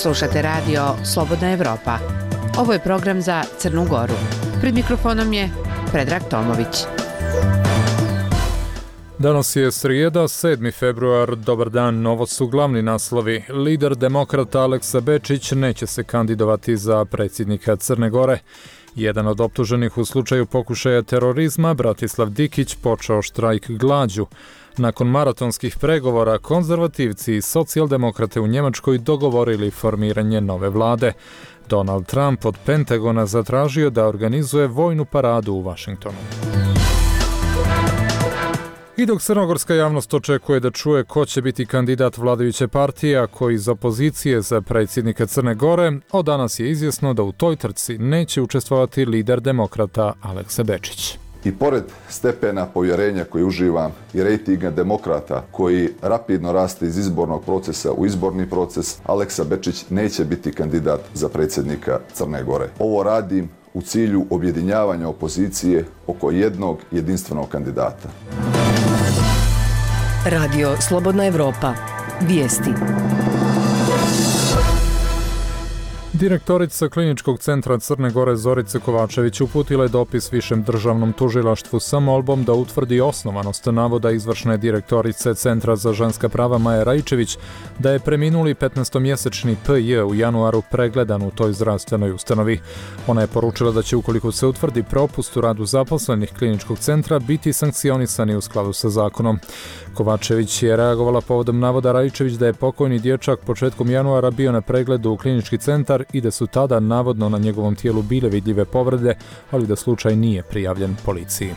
Slušate radio Slobodna Evropa. Ovo je program za Crnu Goru. Pred mikrofonom je Predrag Tomović. Danas je srijeda, 7. februar. Dobar dan, ovo su glavni naslovi. Lider demokrata Aleksa Bečić neće se kandidovati za predsjednika Crne Gore. Jedan od optuženih u slučaju pokušaja terorizma, Bratislav Dikić, počeo štrajk glađu. Nakon maratonskih pregovora, konzervativci i socijaldemokrate u Njemačkoj dogovorili formiranje nove vlade. Donald Trump od Pentagona zatražio da organizuje vojnu paradu u Vašingtonu. I dok crnogorska javnost očekuje da čuje ko će biti kandidat vladajuće partije, a ko iz opozicije za predsjednika Crne Gore, od danas je izvjesno da u toj trci neće učestvovati lider demokrata Aleksa Bečić. I pored stepena povjerenja koji uživam i rejtinga demokrata koji rapidno raste iz izbornog procesa u izborni proces, Aleksa Bečić neće biti kandidat za predsjednika Crne Gore. Ovo radim u cilju objedinjavanja opozicije oko jednog jedinstvenog kandidata. Radio Slobodna Evropa. Vijesti. Direktorica Kliničkog centra Crne Gore Zorica Kovačević uputila je dopis Višem državnom tužilaštvu sa molbom da utvrdi osnovanost navoda izvršne direktorice Centra za ženska prava Maje Rajčević da je preminuli 15-mjesečni P.J. u januaru pregledan u toj zdravstvenoj ustanovi. Ona je poručila da će, ukoliko se utvrdi propust u radu zaposlenih Kliničkog centra, biti sankcionisani u skladu sa zakonom. Kovačević je reagovala povodom navoda Rajčević da je pokojni dječak početkom januara bio na pregledu u Klinički centar i da su tada navodno na njegovom tijelu bile vidljive povrede, ali da slučaj nije prijavljen policiji.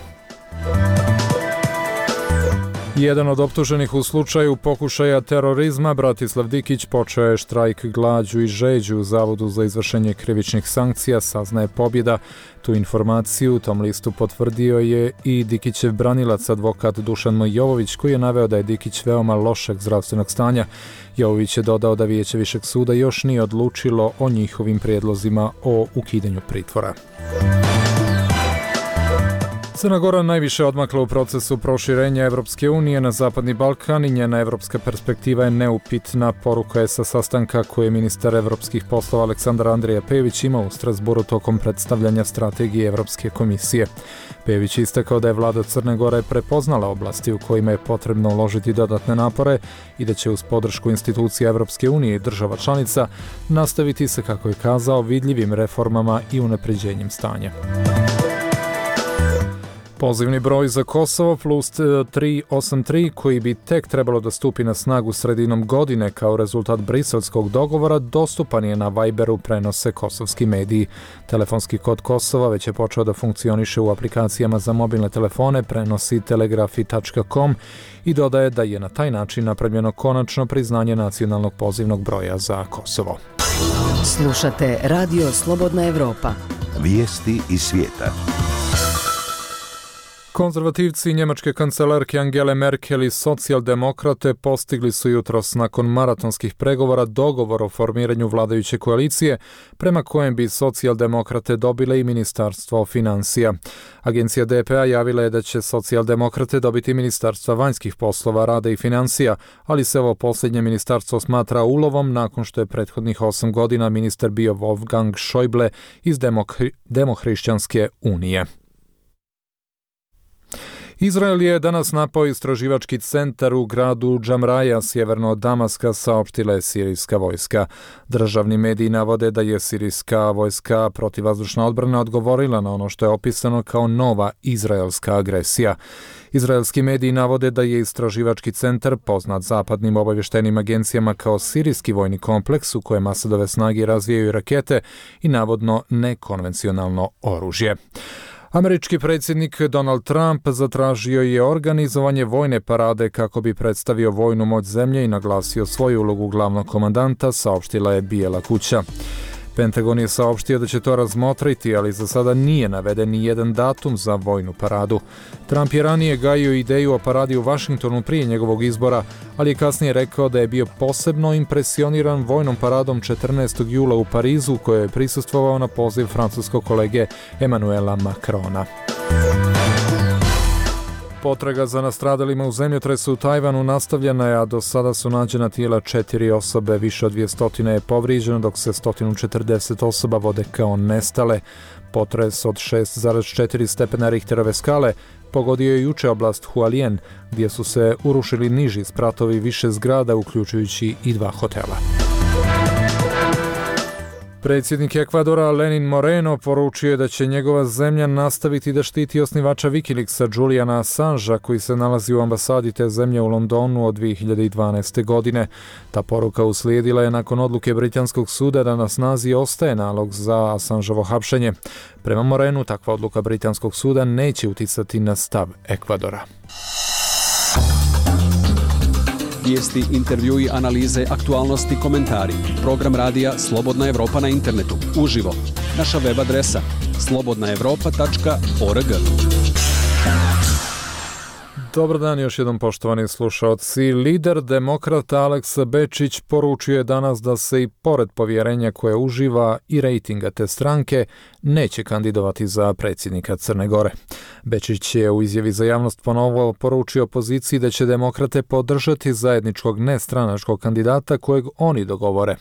Jedan od optuženih u slučaju pokušaja terorizma, Bratislav Dikić, počeo je štrajk glađu i žeđu u Zavodu za izvršenje krivičnih sankcija, saznaje Pobjeda. Tu informaciju u tom listu potvrdio je i Dikićev branilac, advokat Dušan Jovović, koji je naveo da je Dikić veoma lošeg zdravstvenog stanja. Jovović je dodao da Vijeće Višeg suda još nije odlučilo o njihovim prijedlozima o ukidanju pritvora. Crna Gora najviše odmakla u procesu proširenja Evropske unije na Zapadni Balkan i njena evropska perspektiva je neupitna, poruka je sa sastanka koje je ministar evropskih poslova Aleksandar Andrija Pejović imao u Strasburu tokom predstavljanja strategije Evropske komisije. Pejović je istakao da je vlada Crne Gore prepoznala oblasti u kojima je potrebno uložiti dodatne napore i da će uz podršku institucija Evropske unije i država članica nastaviti se, kako je kazao, vidljivim reformama i unapređenjem stanja. Pozivni broj za Kosovo plus 383, koji bi tek trebalo da stupi na snagu sredinom godine kao rezultat briselskog dogovora, dostupan je na Viberu, prenose kosovski mediji. Telefonski kod Kosova već je počeo da funkcioniše u aplikacijama za mobilne telefone, prenosi telegrafi.com i dodaje da je na taj način napravljeno konačno priznanje nacionalnog pozivnog broja za Kosovo. Slušate Radio Slobodna Evropa. Vijesti iz svijeta. Konzervativci njemačke kancelarke Angele Merkel i socijaldemokrate postigli su jutros nakon maratonskih pregovora dogovor o formiranju vladajuće koalicije, prema kojem bi socijaldemokrate dobile i ministarstvo financija. Agencija DPA javila je da će socijaldemokrate dobiti ministarstva vanjskih poslova, rada i financija, ali se ovo posljednje ministarstvo smatra ulovom nakon što je prethodnih 8 godina ministar bio Wolfgang Schäuble iz Demohrišćanske unije. Izrael je danas napao istraživački centar u gradu Džamraja, sjeverno od Damaska, saopštila je sirijska vojska. Državni mediji navode da je sirijska vojska protivvazdušna odbrana odgovorila na ono što je opisano kao nova izraelska agresija. Izraelski mediji navode da je istraživački centar, poznat zapadnim obavještajnim agencijama kao sirijski vojni kompleks u kojem Asadove snage razvijaju rakete i navodno nekonvencionalno oružje. Američki predsjednik Donald Trump zatražio je organizovanje vojne parade kako bi predstavio vojnu moć zemlje i naglasio svoju ulogu glavnog komandanta, saopštila je Bijela kuća. Pentagon je saopštio da će to razmotriti, ali za sada nije naveden ni jedan datum za vojnu paradu. Trump je ranije gajio ideju o paradi u Vašingtonu prije njegovog izbora, ali je kasnije rekao da je bio posebno impresioniran vojnom paradom 14. jula u Parizu, kojoj je prisustvovao na poziv francuskog kolege Emmanuela Macrona. Potraga za nastradalima u zemljotresu u Tajvanu nastavljena je, a do sada su nađena tijela 4 osobe, više od 200 je povrijeđeno, dok se 140 osoba vode kao nestale. Potres od 6,4 stepena Richterove skale pogodio je juče oblast Hualien, gdje su se urušili niži spratovi više zgrada, uključujući i 2 hotela. Predsjednik Ekvadora Lenin Moreno poručio je da će njegova zemlja nastaviti da štiti osnivača Wikileaksa Juliana Assangea, koji se nalazi u ambasadi te zemlje u Londonu od 2012. godine. Ta poruka uslijedila je nakon odluke britanskog suda da na snazi ostaje nalog za Assangeovo hapšenje. Prema Morenu, takva odluka britanskog suda neće uticati na stav Ekvadora. Vijesti, intervjui, analize, aktualnosti, komentari. Program radija Slobodna Evropa na internetu. Uživo. Naša web adresa slobodnaevropa.org. Dobar dan još jednom, poštovani slušaoci. Lider demokrata Aleksa Bečić poručio je danas da se i pored povjerenja koje uživa i rejtinga te stranke neće kandidovati za predsjednika Crne Gore. Bečić je u izjavi za javnost ponovo poručio opoziciji da će demokrate podržati zajedničkog nestranačkog kandidata kojeg oni dogovore.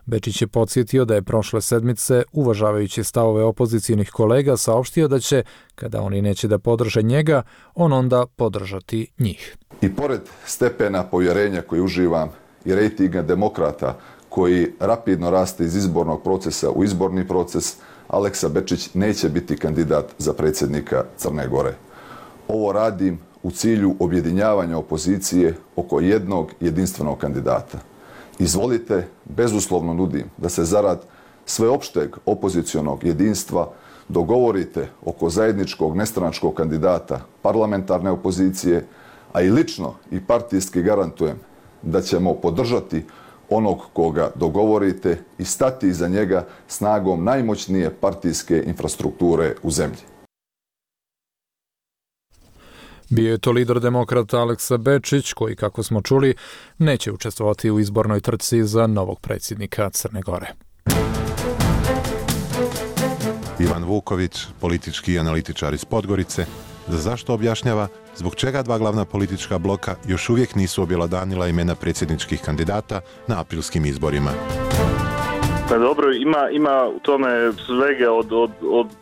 Bečić je podsjetio da je prošle sedmice, uvažavajući stavove opozicijnih kolega, saopštio da će, kada oni neće da podrže njega, on onda podržati njih. I pored stepena povjerenja koji uživam i rejtinga demokrata koji rapidno raste iz izbornog procesa u izborni proces, Aleksa Bečić neće biti kandidat za predsjednika Crne Gore. Ovo radim u cilju objedinjavanja opozicije oko jednog jedinstvenog kandidata. Izvolite, bezuslovno nudim da se zarad sveopšteg opozicionog jedinstva dogovorite oko zajedničkog nestranačkog kandidata parlamentarne opozicije, a i lično i partijski garantujem da ćemo podržati onog koga dogovorite i stati iza njega snagom najmoćnije partijske infrastrukture u zemlji. Bio je to lider demokrata Aleksa Bečić, koji, kako smo čuli, neće učestvovati u izbornoj trci za novog predsjednika Crne Gore. Ivan Vuković, politički analitičar iz Podgorice, zašto objašnjava zbog čega 2 glavna politička bloka još uvijek nisu objelodanila imena predsjedničkih kandidata na aprilskim izborima. Pa dobro, ima u tome svega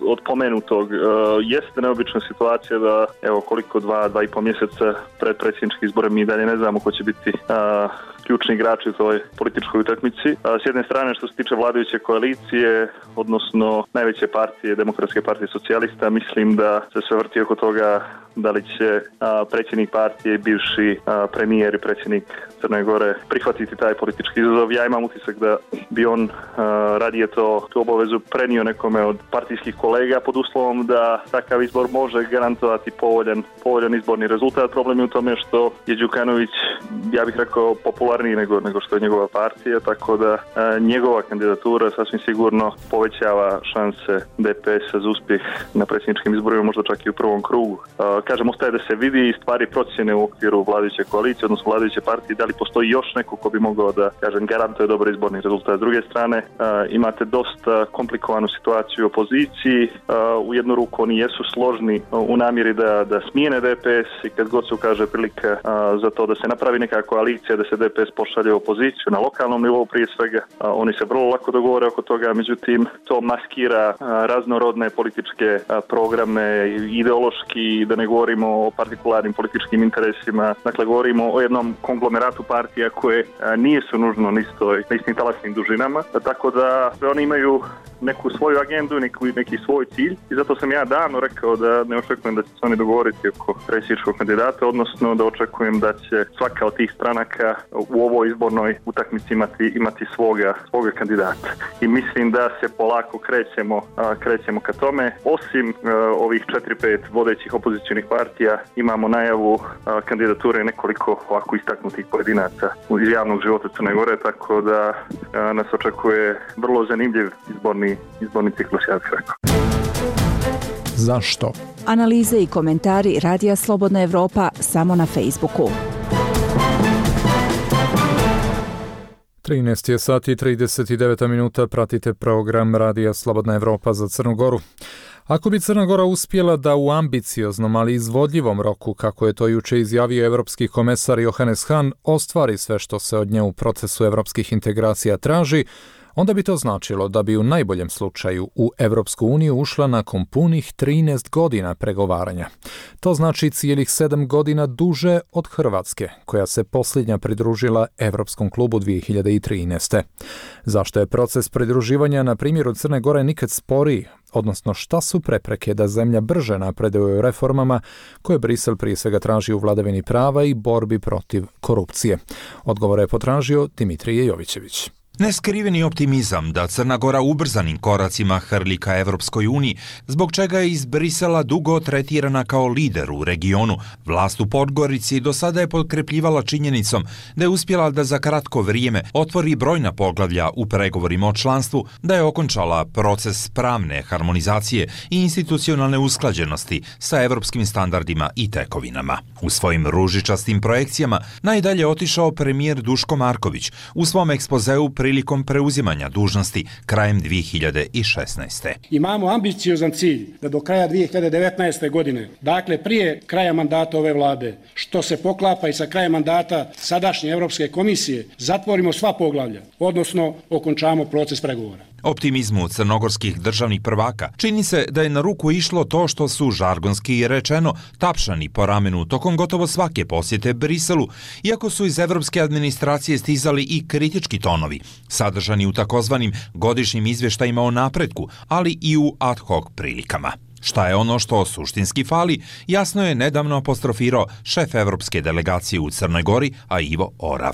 od pomenutog. Jeste neobična situacija da, evo koliko 2,5 mjeseca pred predsjedničke izbore mi dalje ne znamo ko će biti ključni igrači u toj političkoj utakmici. S jedne strane, što se tiče vladajuće koalicije, odnosno najveće partije, Demokratske partije socijalista, mislim da se sve vrti oko toga da li će predsjednik partije, bivši premijer i predsjednik Crne Gore prihvatiti taj politički izazov. Ja imam utisak da bi on radije tu obavezu prenio nekome od partijskih kolega pod uslovom da takav izbor može garantovati povoljan izborni rezultat. Problem je u tome što je Đukanović, ja bih rekao, popularniji nego što je njegova partija, tako da njegova kandidatura sasvim sigurno povećava šanse DPS-a za uspjeh na predsjedničkim izborima, možda čak i u prvom krugu. Kažem, ostaje da se vidi i stvari procjene u okviru vladajuće koalicije, odnosno vladajuće partije, da li postoji još neko ko bi mogao da, kažem, garantuje dobar izborni rezultat. S druge strane, imate dosta komplikovanu situaciju u opoziciji. U jednu ruku oni jesu složni u namjeri da smijene DPS i kad god se ukaže prilika za to da se napravi neka koalicija, da se DPS pošalje u opoziciju na lokalnom nivou prije svega, oni se vrlo lako dogovore oko toga, međutim to maskira raznorodne političke programe, ideološki, da ne govorimo o partikularnim političkim interesima, dakle govorimo o jednom konglomeratu partija koje nisu nužno na istim talasnim dužinama, tako da oni imaju neku svoju agendu, neki svoj cilj i zato sam ja davno rekao da ne očekujem da će se oni dogovoriti oko predsjedničkog kandidata, odnosno da očekujem da će svaka od tih stranaka u ovoj izbornoj utakmici imati svoga kandidata. I mislim da se polako krećemo ka tome. Osim ovih 4-5 vodećih opozicionih partija imamo najavu kandidature nekoliko ovako istaknutih pojedinaca iz javnog života Crne Gore, tako da nas očekuje vrlo zanimljiv izborni ciklus, ja bih rekao. Zašto? Analize i komentari Radija Slobodna Evropa samo na Facebooku. 13 je sati i 39 minuta, pratite program Radija Slobodna Evropa za Crnu Goru. Ako bi Crna Gora uspjela da u ambicioznom, ali izvodljivom roku, kako je to juče izjavio evropski komesar Johannes Hahn, ostvari sve što se od nje u procesu evropskih integracija traži, onda bi to značilo da bi u najboljem slučaju u Evropsku uniju ušla nakon punih 13 godina pregovaranja. To znači cijelih 7 godina duže od Hrvatske, koja se posljednja pridružila Evropskom klubu 2013. Zašto je proces pridruživanja na primjeru Crne Gore nikad sporiji? Odnosno, šta su prepreke da zemlja brže napreduje u reformama koje Brisel prije svega traži u vladavini prava i borbi protiv korupcije? Odgovore je potražio Dimitrije Jovićević. Neskriveni optimizam da Crna Gora ubrzanim koracima hrli ka Evropskoj uniji, zbog čega je iz Brisela dugo tretirana kao lider u regionu. Vlast u Podgorici do sada je potkrepljivala činjenicom da je uspjela da za kratko vrijeme otvori brojna poglavlja u pregovorima o članstvu, da je okončala proces pravne harmonizacije i institucionalne usklađenosti sa evropskim standardima i tekovinama. U svojim ružičastim projekcijama najdalje otišao premijer Duško Marković u svom ekspozeu prilikom preuzimanja dužnosti krajem 2016. Imamo ambiciozan cilj da do kraja 2019. godine, dakle prije kraja mandata ove vlade, što se poklapa i sa krajem mandata sadašnje Europske komisije, zatvorimo sva poglavlja, odnosno okončamo proces pregovora. Optimizmu crnogorskih državnih prvaka čini se da je na ruku išlo to što su, žargonski rečeno, tapšani po ramenu tokom gotovo svake posjete Briselu, iako su iz evropske administracije stizali i kritički tonovi, sadržani u takozvanim godišnjim izvještajima o napretku, ali i u ad hoc prilikama. Šta je ono što suštinski fali, jasno je nedavno apostrofirao šef evropske delegacije u Crnoj Gori, a Ivo Orav.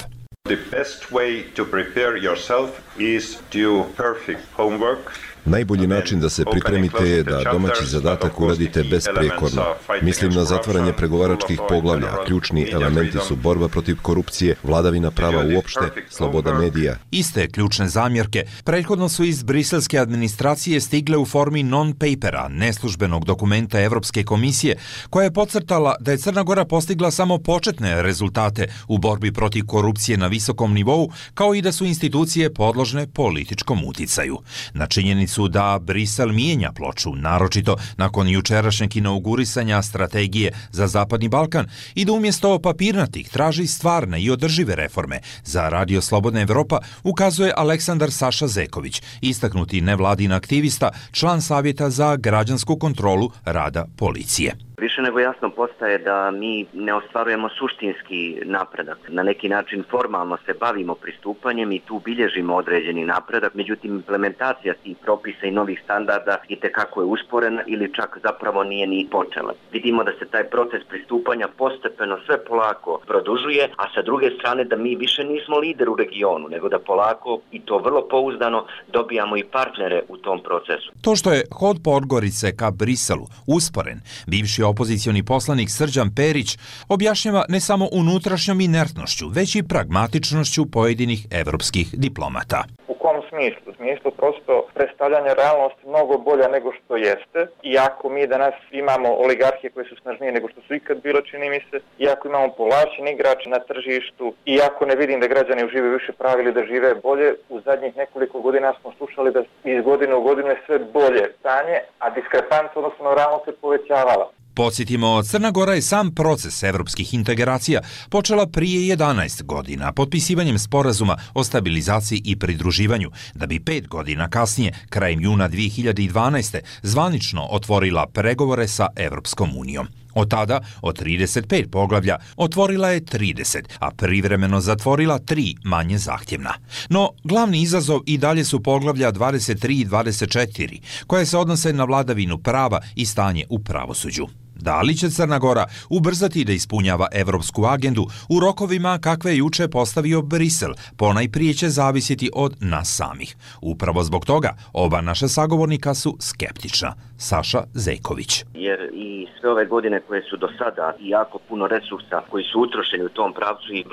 The best way to prepare yourself is to do perfect homework. Najbolji način da se pripremite je da domaći zadatak uradite besprijekorno. Mislim na zatvaranje pregovaračkih poglavlja. Ključni elementi su borba protiv korupcije, vladavina prava uopšte, sloboda medija. Iste ključne zamjerke prethodno su iz briselske administracije stigle u formi non-papera, neslužbenog dokumenta Evropske komisije, koja je podcrtala da je Crna Gora postigla samo početne rezultate u borbi protiv korupcije na visokom nivou, kao i da su institucije podložne političkom uticaju. Na činjenicu da Brisel mijenja ploču, naročito nakon jučerašnjeg inaugurisanja strategije za Zapadni Balkan, i da umjesto papirnatih traži stvarne i održive reforme. Za Radio Slobodna Evropa ukazuje Aleksandar Saša Zeković, istaknuti nevladin aktivista, član Savjeta za građansku kontrolu rada policije. Više nego jasno postaje da mi ne ostvarujemo suštinski napredak. Na neki način formalno se bavimo pristupanjem i tu bilježimo određeni napredak, međutim implementacija tih propisa i novih standarda itekako je usporena ili čak zapravo nije ni počela. Vidimo da se taj proces pristupanja postepeno sve polako produžuje, a sa druge strane da mi više nismo lider u regionu, nego da polako i to vrlo pouzdano dobijamo i partnere u tom procesu. To što je hod Podgorice ka Briselu usporen, bivši opozicioni poslanik Srđan Perić objašnjava ne samo unutrašnjom inertnošću, već i pragmatičnošću pojedinih evropskih diplomata. U kom smislu? U smislu prosto predstavljanja realnosti mnogo bolja nego što jeste. Iako mi danas imamo oligarhije koje su snažnije nego što su ikad bilo, čini mi se, iako imamo povlačeni igrač na tržištu, iako ne vidim da građani uživaju više prava ili da žive bolje, u zadnjih nekoliko godina smo slušali da iz godine u godinu je sve bolje stanje, a diskrepanca odnosno na realnost se povećavala. Podsjetimo, Crna Gora je sam proces evropskih integracija počela prije 11 godina potpisivanjem sporazuma o stabilizaciji i pridruživanju, da bi 5 godina kasnije, krajem juna 2012. zvanično otvorila pregovore sa Evropskom unijom. Od tada, od 35 poglavlja, otvorila je 30, a privremeno zatvorila 3 manje zahtjevna. No, glavni izazov i dalje su poglavlja 23 i 24, koje se odnose na vladavinu prava i stanje u pravosuđu. Da li će Crna Gora ubrzati da ispunjava evropsku agendu u rokovima kakve je juče postavio Brisel, ponajprije će zavisiti od nas samih. Upravo zbog toga oba naša sagovornika su skeptična. Saša Zejković. Jer i sve ove godine koje su do sada i jako puno resursa koji su utrošeni u tom pravcu i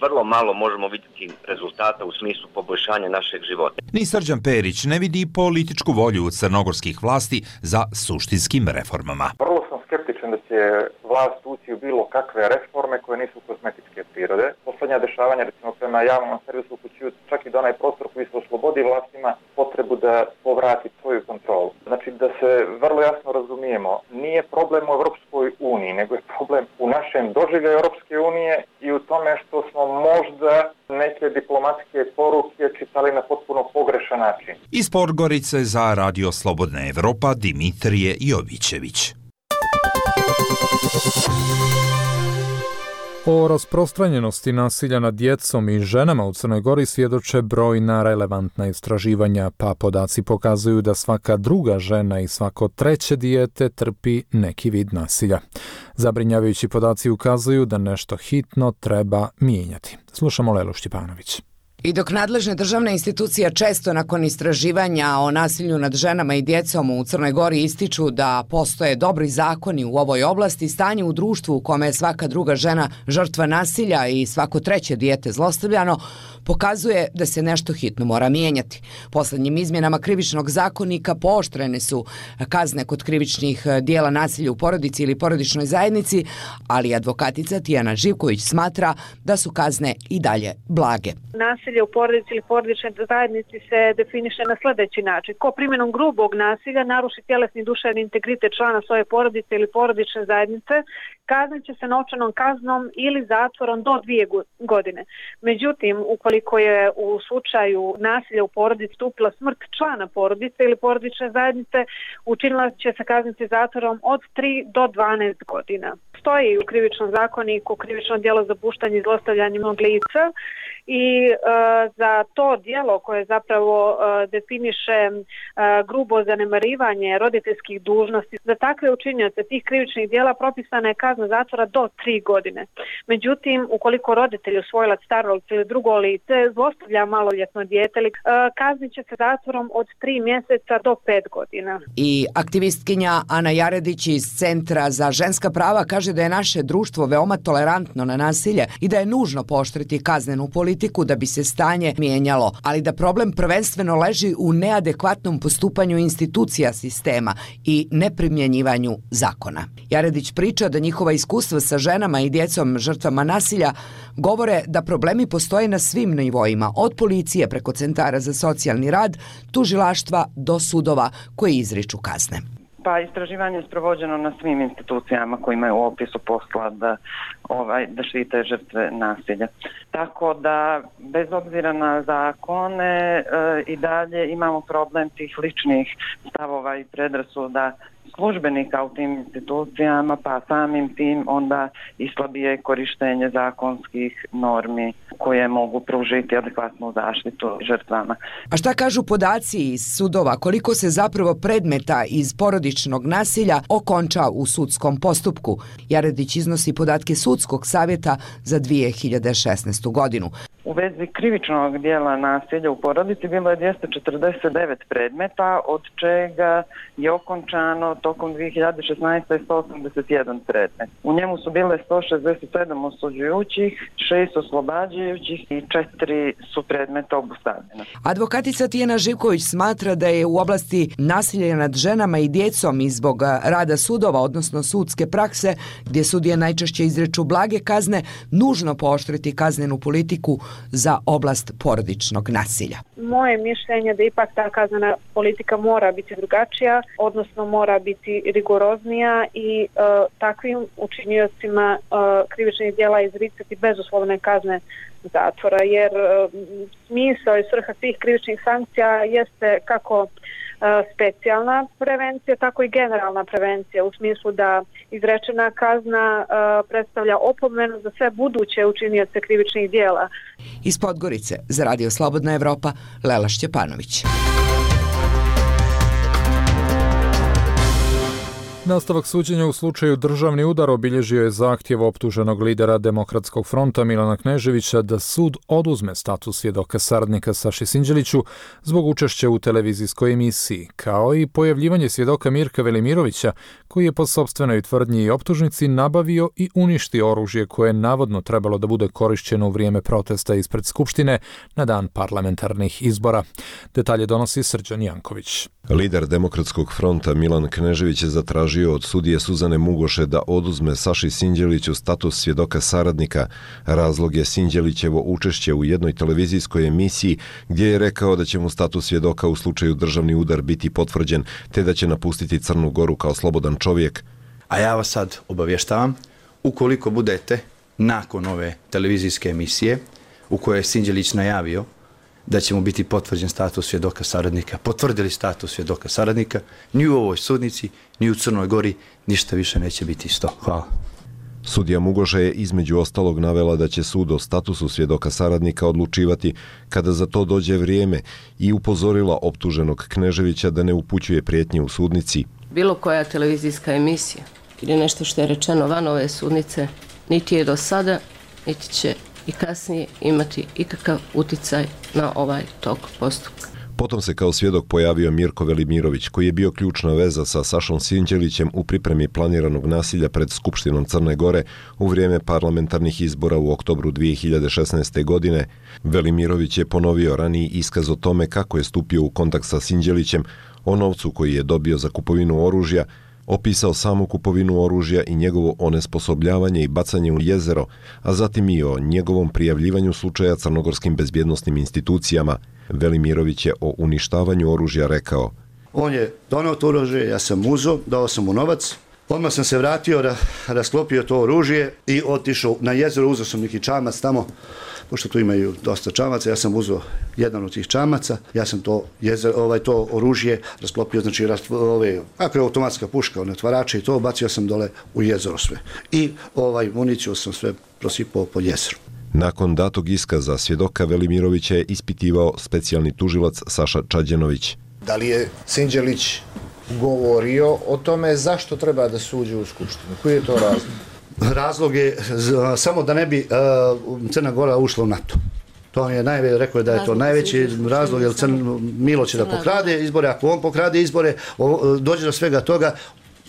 vrlo malo možemo vidjeti rezultata u smislu poboljšanja našeg života. Ni Srđan Perić ne vidi političku volju crnogorskih vlasti za suštinskim reformama. Vrlo sam skeptičan da će vlast ući u bilo kakve reforme koje nisu kozmetičke prirode. Poslednja dešavanja, recimo prema javnom servisu, upućuju čak i da onaj prostor koji se oslobodi vlastima potrebu da povrati svoju kontrolu. Znači da se vrlo jasno problem u Europskoj uniji, nego je problem u našem doživljaju Europske unije i u tome što smo možda neke diplomatske poruke čitali na potpuno pogrešan način. Iz Podgorice za Radio Slobodna Evropa Dimitrije Jovićević. O rasprostranjenosti nasilja nad djecom i ženama u Crnoj Gori svjedoče brojna relevantna istraživanja, pa podaci pokazuju da svaka druga žena i svako treće dijete trpi neki vid nasilja. Zabrinjavajući podaci ukazuju da nešto hitno treba mijenjati. Slušamo Lelu Štjepanović. I dok nadležne državne institucije često nakon istraživanja o nasilju nad ženama i djecom u Crnoj Gori ističu da postoje dobri zakoni u ovoj oblasti, stanje u društvu u kome je svaka druga žena žrtva nasilja i svako treće dijete zlostavljano, pokazuje da se nešto hitno mora mijenjati. Posljednjim izmjenama krivičnog zakonika pooštrene su kazne kod krivičnih dijela nasilja u porodici ili porodičnoj zajednici, ali advokatica Tijana Živković smatra da su kazne i dalje blage. Nasilje u porodici ili porodičnoj zajednici se definiše na sljedeći način. Ko primjenom grubog nasilja naruši tjelesni i duševni integritet člana svoje porodice ili porodične zajednice, kaznit će se novčanom kaznom ili zatvorom do 2 godine. Međutim, ukoliko je u slučaju nasilja u porodici stupila smrt člana porodice ili porodične zajednice, učinila će se kazniti zatvorom od 3 do 12 godina. Stoji u krivičnom zakoniku krivično djelo zapuštanje i zlostavljanje lica i za to djelo koje zapravo definiše grubo zanemarivanje roditeljskih dužnosti, za takve učinioce tih krivičnih djela propisana je kazna zatvora do 3 godine. Međutim, ukoliko roditelj, usvojilac, starolac ili drugo lice zlostavlja maloljetno dijete, kaznit će se zatvorom od 3 mjeseca do 5 godina. I aktivistkinja Ana Jaredić iz Centra za ženska prava kaže da je naše društvo veoma tolerantno na nasilje i da je nužno pooštriti kaznenu politiku da bi se stanje mijenjalo, ali da problem prvenstveno leži u neadekvatnom postupanju institucija sistema i neprimjenjivanju zakona. Jaredić priča da njihova iskustva sa ženama i djecom žrtvama nasilja govore da problemi postoje na svim nivoima, od policije preko centara za socijalni rad, tužilaštva do sudova koji izriču kazne. Pa istraživanje je sprovođeno na svim institucijama koji imaju u opisu posla da štite žrtve nasilja. Tako da, bez obzira na zakone, i dalje imamo problem tih ličnih stavova i predrasuda službenika u tim institucijama, pa samim tim onda i slabije korištenje zakonskih normi koje mogu pružiti adekvatnu zaštitu žrtvama. A šta kažu podaci iz sudova? Koliko se zapravo predmeta iz porodičnog nasilja okonča u sudskom postupku? Jaredić iznosi podatke Sudskog savjeta za 2016. godinu. U vezi krivičnog dijela nasilja u porodici bilo je 249 predmeta, od čega je okončano tokom 2016. 181 predmet. U njemu su bile 167 osuđujućih, 6 oslobađajućih i 4 su predmeta obustavljena. Advokatica Tijana Živković smatra da je u oblasti nasilja nad ženama i djecom i zbog rada sudova, odnosno sudske prakse, gdje sudije najčešće izreču blage kazne, nužno pooštriti kaznenu politiku za oblast porodičnog nasilja. Moje mišljenje da ipak ta kaznena politika mora biti drugačija, odnosno mora biti rigoroznija i takvim učiniocima krivičnih djela izricati bezuslovne kazne zatvora, jer smisao i svrha svih krivičnih sankcija jeste kako specijalna prevencija, tako i generalna prevencija, u smislu da izrečena kazna predstavlja opomenu za sve buduće učinioce krivičnih djela. Iz Podgorice za Radio Slobodna Evropa, Lela Šćepanović. Nastavak suđenja u slučaju državni udar obilježio je zahtjev optuženog lidera Demokratskog fronta Milana Kneževića da sud oduzme status svjedoka saradnika Saši Sinđeliću zbog učešća u televizijskoj emisiji, kao i pojavljivanje svjedoka Mirka Velimirovića, koji je po sopstvenoj tvrdnji i optužnici nabavio i uništio oružje koje je navodno trebalo da bude korišćeno u vrijeme protesta ispred Skupštine na dan parlamentarnih izbora. Detalje donosi Srđan Janković. Lider Demokratskog fronta Milan Knežević je zatražio od sudije Suzane Mugoše da oduzme Saši Sinđeliću status svjedoka saradnika. Razlog je Sinđelićevo učešće u jednoj televizijskoj emisiji gdje je rekao da će mu status svjedoka u slučaju državni udar biti potvrđen, te da će napustiti Crnu Goru kao slobodan čovjek. A ja vas sad obavještavam, ukoliko budete nakon ove televizijske emisije u kojoj je Sinđelić najavio da će mu biti potvrđen status svjedoka saradnika, potvrdili status svjedoka saradnika, ni u ovoj sudnici, ni u Crnoj Gori, ništa više neće biti isto. Hvala. Sudija Mugoša je između ostalog navela da će sud o statusu svjedoka saradnika odlučivati kada za to dođe vrijeme i upozorila optuženog Kneževića da ne upućuje prijetnje u sudnici. Bilo koja televizijska emisija ili nešto što je rečeno van ove sudnice, niti je do sada, niti će i kasnije imati ikakav uticaj na ovaj tok postupka. Potom se kao svjedok pojavio Mirko Velimirović, koji je bio ključna veza sa Sašom Sinđelićem u pripremi planiranog nasilja pred Skupštinom Crne Gore u vrijeme parlamentarnih izbora u oktobru 2016. godine. Velimirović je ponovio raniji iskaz o tome kako je stupio u kontakt sa Sinđelićem, o novcu koji je dobio za kupovinu oružja, opisao samu kupovinu oružja i njegovo onesposobljavanje i bacanje u jezero, a zatim i o njegovom prijavljivanju slučaja crnogorskim bezbjednosnim institucijama. Velimirović je o uništavanju oružja rekao: On je donao to oružje, ja sam uzeo, dao sam mu novac, odmah sam se vratio, rasklopio to oružje i otišao na jezero, uzeo sam neki čamac tamo, pošto tu imaju dosta čamaca, ja sam uzeo jedan od tih čamaca, ja sam to oružje rasklopio, znači ako je automatska puška, otvarače i to, bacio sam dole u jezero sve. I municiju sam sve prosipao po jezeru. Nakon datog iskaza svjedoka Velimirovića je ispitivao specijalni tužilac Saša Čađenović. Da li je Sinđelić govorio o tome zašto treba da se uđe u Skupštinu? Koji je to razlog? Razlog je samo da ne bi Crna Gora ušla u NATO. To je rekao je da je to najveći razlog, jer Milo će da pokrade izbore, ako on pokrade izbore, dođe do svega toga,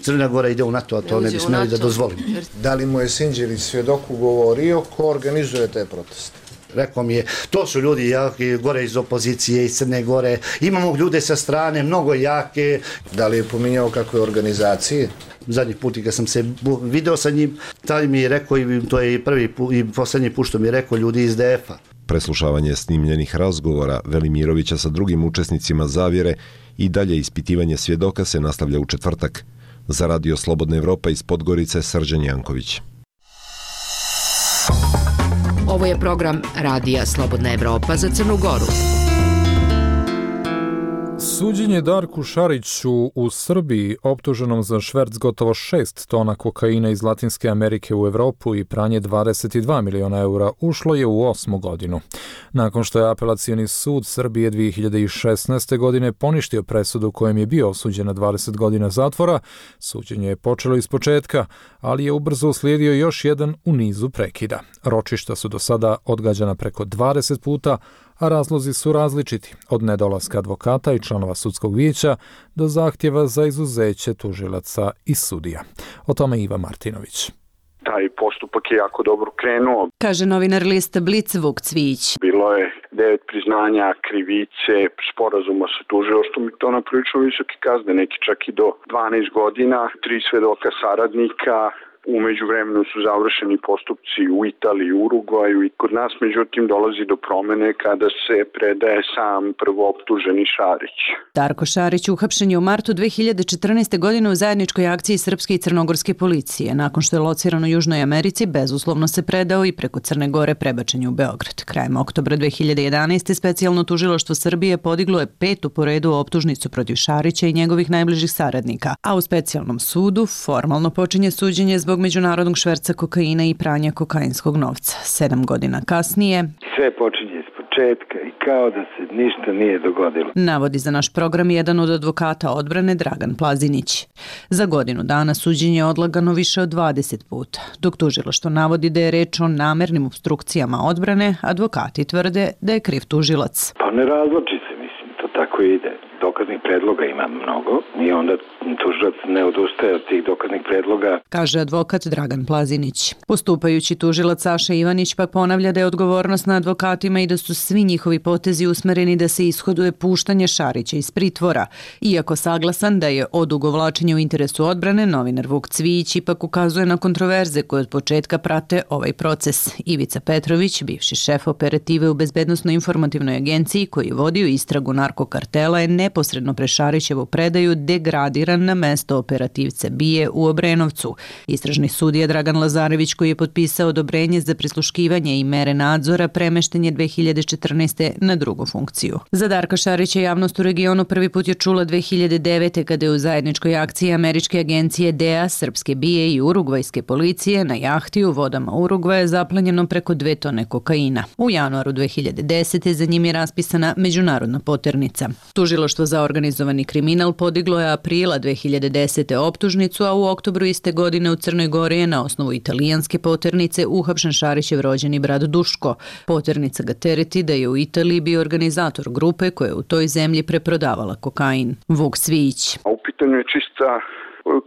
Crna Gora ide u NATO, a to ne bi smjeli da dozvolimo. Da li mu je Sinđelić svjedoku govorio ko organizuje te proteste? Rekao mi je, to su ljudi jaki, gore iz opozicije, iz Crne Gore, imamo ljude sa strane, mnogo jake. Da li je pominjao kakve organizacije? Zadnji put kad sam se video sa njim, taj mi je rekao, i to je i prvi i posljednji put što mi je rekao, ljudi iz DF-a. Preslušavanje snimljenih razgovora Velimirovića sa drugim učesnicima zavjere i dalje ispitivanje svjedoka se nastavlja u četvrtak. Za Radio Slobodna Evropa iz Podgorice, Srđan Janković. Ovo je program Radija Slobodna Evropa za Crnu Goru. Suđenje Darku Šariću u Srbiji, optuženom za šverc gotovo 6 tona kokaina iz Latinske Amerike u Evropu i pranje 22 miliona eura, ušlo je u 8. godinu. Nakon što je apelacioni sud Srbije 2016. godine poništio presudu kojem je bio osuđen na 20 godina zatvora, suđenje je počelo iz početka, ali je ubrzo uslijedio još jedan u nizu prekida. Ročišta su do sada odgađana preko 20 puta, a razlozi su različiti, od nedolaska advokata i članova sudskog vijeća do zahtjeva za izuzeće tužilaca i sudija. O tome Iva Martinović. Taj postupak je jako dobro krenuo, kaže novinar lista Blic Vuk Cvijić. Bilo je 9 priznanja krivice, sporazuma sa tužilaštvom i to na prilično visoke kazne, neki čak i do 12 godina, 3 svedoka saradnika. U međuvremenu su završeni postupci u Italiji i Urugvaju i kod nas međutim dolazi do promene kada se predaje sam prvooptuženi Šarić. Darko Šarić uhapšen je u martu 2014. godine u zajedničkoj akciji srpske i crnogorske policije. Nakon što je lociran u Južnoj Americi, bezuslovno se predao i preko Crne Gore prebačen je u Beograd. Krajem oktobra 2011. specijalno tužilaštvo Srbije podiglo je 5. po redu optužnicu protiv Šarića i njegovih najbližih saradnika, a u specijalnom sudu formalno počinje suđenje zbog međunarodnog šverca kokaina i pranja kokainskog novca. 7 godina kasnije sve počinje iz početka i kao da se ništa nije dogodilo. Navodi za naš program jedan od advokata odbrane Dragan Plazinić. Za godinu dana suđenje je odlagano više od 20 puta. Dok tužilaštvo navodi da je reč o namernim opstrukcijama odbrane, advokati tvrde da je kriv tužilac. Pa ne razloči se, mislim, to tako ide. Dokaznih predloga ima mnogo i onda tužilac ne odustaje od tih dokaznih predloga, kaže advokat Dragan Plazinić. Postupajući tužilac Saša Ivanić pak ponavlja da je odgovornost na advokatima i da su svi njihovi potezi usmereni da se ishoduje puštanje Šarića iz pritvora. Iako saglasan da je odugovlačenje u interesu odbrane, novinar Vuk Cvijić ipak ukazuje na kontroverze koje od početka prate ovaj proces. Ivica Petrović, bivši šef operative u Bezbednosno-informativnoj agenciji koji je vodio istragu narkokartela, je neposredno pre Šarićevu predaju degradiran na mesto operativca BIA u Obrenovcu. Istražni sudija Dragan Lazarević, koji je potpisao odobrenje za prisluškivanje i mere nadzora, premešten je 2014. na drugu funkciju. Za Darka Šarića javnost u regionu prvi put je čula 2009. kada je u zajedničkoj akciji američke agencije DEA, srpske BIA i urugvajske policije na jahti u vodama Urugvaja zaplenjeno preko 2 tone kokaina. U januaru 2010. za njim je raspisana međunarodna poternica. Tužilaštvo za organizovani kriminal podiglo je aprila 2010. optužnicu, a u oktobru iste godine u Crnoj Gori je na osnovu italijanske poternice uhapšen Šarićev rođeni brat Duško. Poternica ga tereti da je u Italiji bio organizator grupe koja je u toj zemlji preprodavala kokain. Vuk Svijić. U pitanju je čista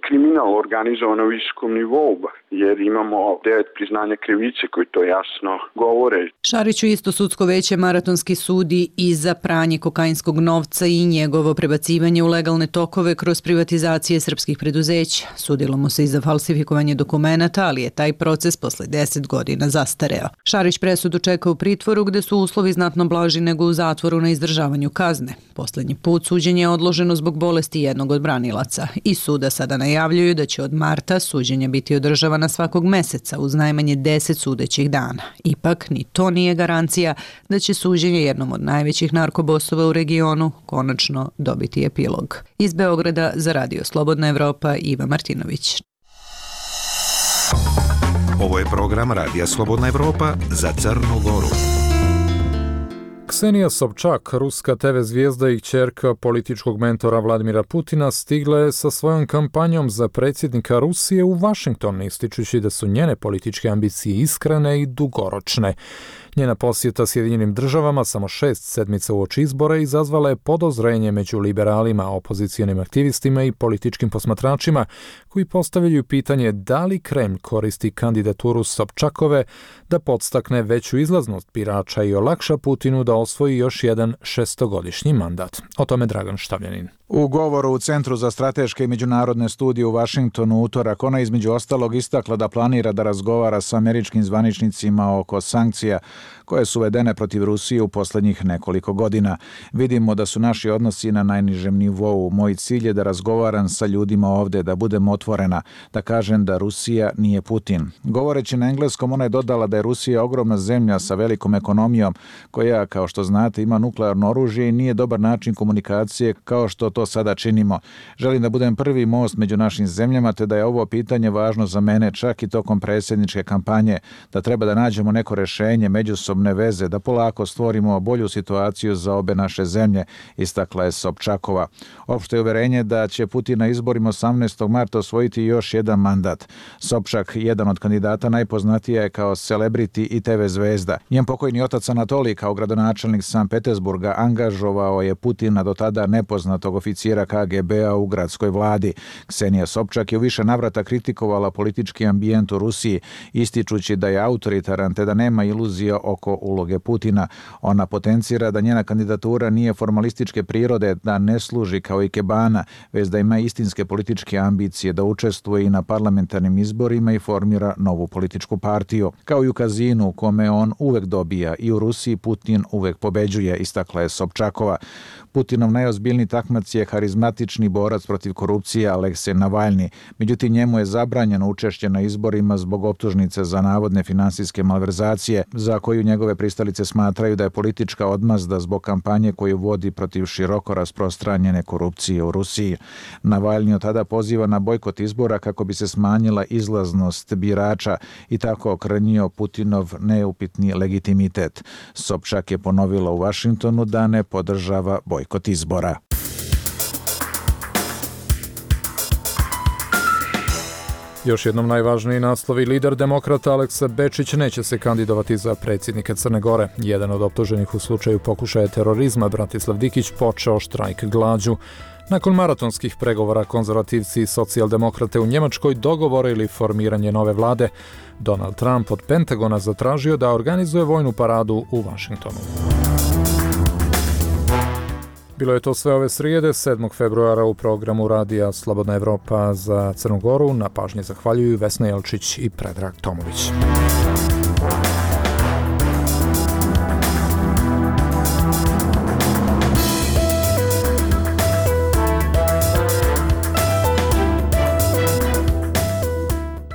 kriminal organizovan na visokom nivou, jer imamo 9 priznanja krivice koji to jasno govore. Šariću isto sudsko veće maratonski sudi i za pranje kokainskog novca i njegovo prebacivanje u legalne tokove kroz privatizacije srpskih preduzeća. Sudilo mu se i za falsifikovanje dokumenata, ali je taj proces posle 10 godina zastareo. Šarić presudu čeka u pritvoru gde su uslovi znatno blaži nego u zatvoru na izdržavanju kazne. Poslednji put suđenje je odloženo zbog bolesti jednog od branilaca i suda sada najavljuju da će od marta suđenje biti održavana svakog meseca uz najmanje 10 sudećih dana. Ipak, ni to nije garancija da će suđenje jednom od najvećih narkobosova u regionu konačno dobiti epilog. Iz Beograda za Radio Slobodna Evropa, Iva Martinović. Ovo je program Radija Slobodna Evropa za Crnu Goru. Ksenija Sobčak, ruska TV zvijezda i kćerka političkog mentora Vladimira Putina, stigla je sa svojom kampanjom za predsjednika Rusije u Vašington, ističući da su njene političke ambicije iskrene i dugoročne. Njena posjeta Sjedinjenim državama samo 6 sedmica uoči izbora izazvala je podozrenje među liberalima, opozicijonim aktivistima i političkim posmatračima koji postavljaju pitanje da li Kremlj koristi kandidaturu Sobčakove da podstakne veću izlaznost birača i olakša Putinu da osvoji još jedan 6-godišnji mandat. O tome Dragan Štavljanin. U govoru u Centru za strateške i međunarodne studije u Vašingtonu utorak ona između ostalog istakla da planira da razgovara sa američkim zvaničnicima oko sankcija koje su uvedene protiv Rusije u posljednjih nekoliko godina. Vidimo da su naši odnosi na najnižem nivou. Moj cilj je da razgovaram sa ljudima ovde, da budem otvorena, da kažem da Rusija nije Putin. Govoreći na engleskom, ona je dodala da je Rusija ogromna zemlja sa velikom ekonomijom koja, kao što znate, ima nuklearno oružje i nije dobar način komunikacije kao što to sada činimo. Želim da budem prvi most među našim zemljama, te da je ovo pitanje važno za mene čak i tokom predsjedničke kampanje, da treba da nađemo neko rješenje, međusobne veze, da polako stvorimo bolju situaciju za obe naše zemlje, istakla je Sobčakova. Opšte je uverenje da će Putin na izborima 18. marta osvojiti još jedan mandat. Sobčak, jedan od kandidata, najpoznatija je kao celebrity i TV zvezda. Njen pokojni otac Anatolij, kao gradonačelnik Sankt Petersburga, angažovao je Putina do tada nepoznatog oficijera KGB-a u gradskoj vladi. Ksenija Sobčak je u više navrata kritikovala politički ambijent u Rusiji, ističući da je autoritaran te da nema iluzija oko uloge Putina. Ona potencira da njena kandidatura nije formalističke prirode, da ne služi kao ikebana, već da ima istinske političke ambicije, da učestvuje i na parlamentarnim izborima i formira novu političku partiju. Kao i u kazinu u kome on uvek dobija i u Rusiji Putin uvek pobeđuje, istakla je Sobčakova. Putinov najozbiljniji takmac je harizmatični borac protiv korupcije Aleksej Navalni. Međutim, njemu je zabranjeno učešće na izborima zbog optužnice za navodne finansijske malverzacije, za koju njegove pristalice smatraju da je politička odmazda zbog kampanje koju vodi protiv široko rasprostranjene korupcije u Rusiji. Navalni od tada poziva na bojkot izbora kako bi se smanjila izlaznost birača i tako okrnjio Putinov neupitni legitimitet. Sobčak je ponovila u Vašingtonu da ne podržava bojkot izbora. Još jednom najvažniji naslovi: lider demokrata Aleksa Bečić neće se kandidovati za predsjednika Crne Gore. Jedan od optuženih u slučaju pokušaja terorizma, Bratislav Dikić, počeo štrajk glađu. Nakon maratonskih pregovora konzervativci i socijaldemokrate u Njemačkoj dogovorili formiranje nove vlade. Donald Trump od Pentagona zatražio da organizuje vojnu paradu u Vašingtonu. Bilo je to sve ove srijede, 7. februara u programu Radija Slobodna Evropa za Crnu Goru. Na pažnji zahvaljuju Vesna Jelčić i Predrag Tomović.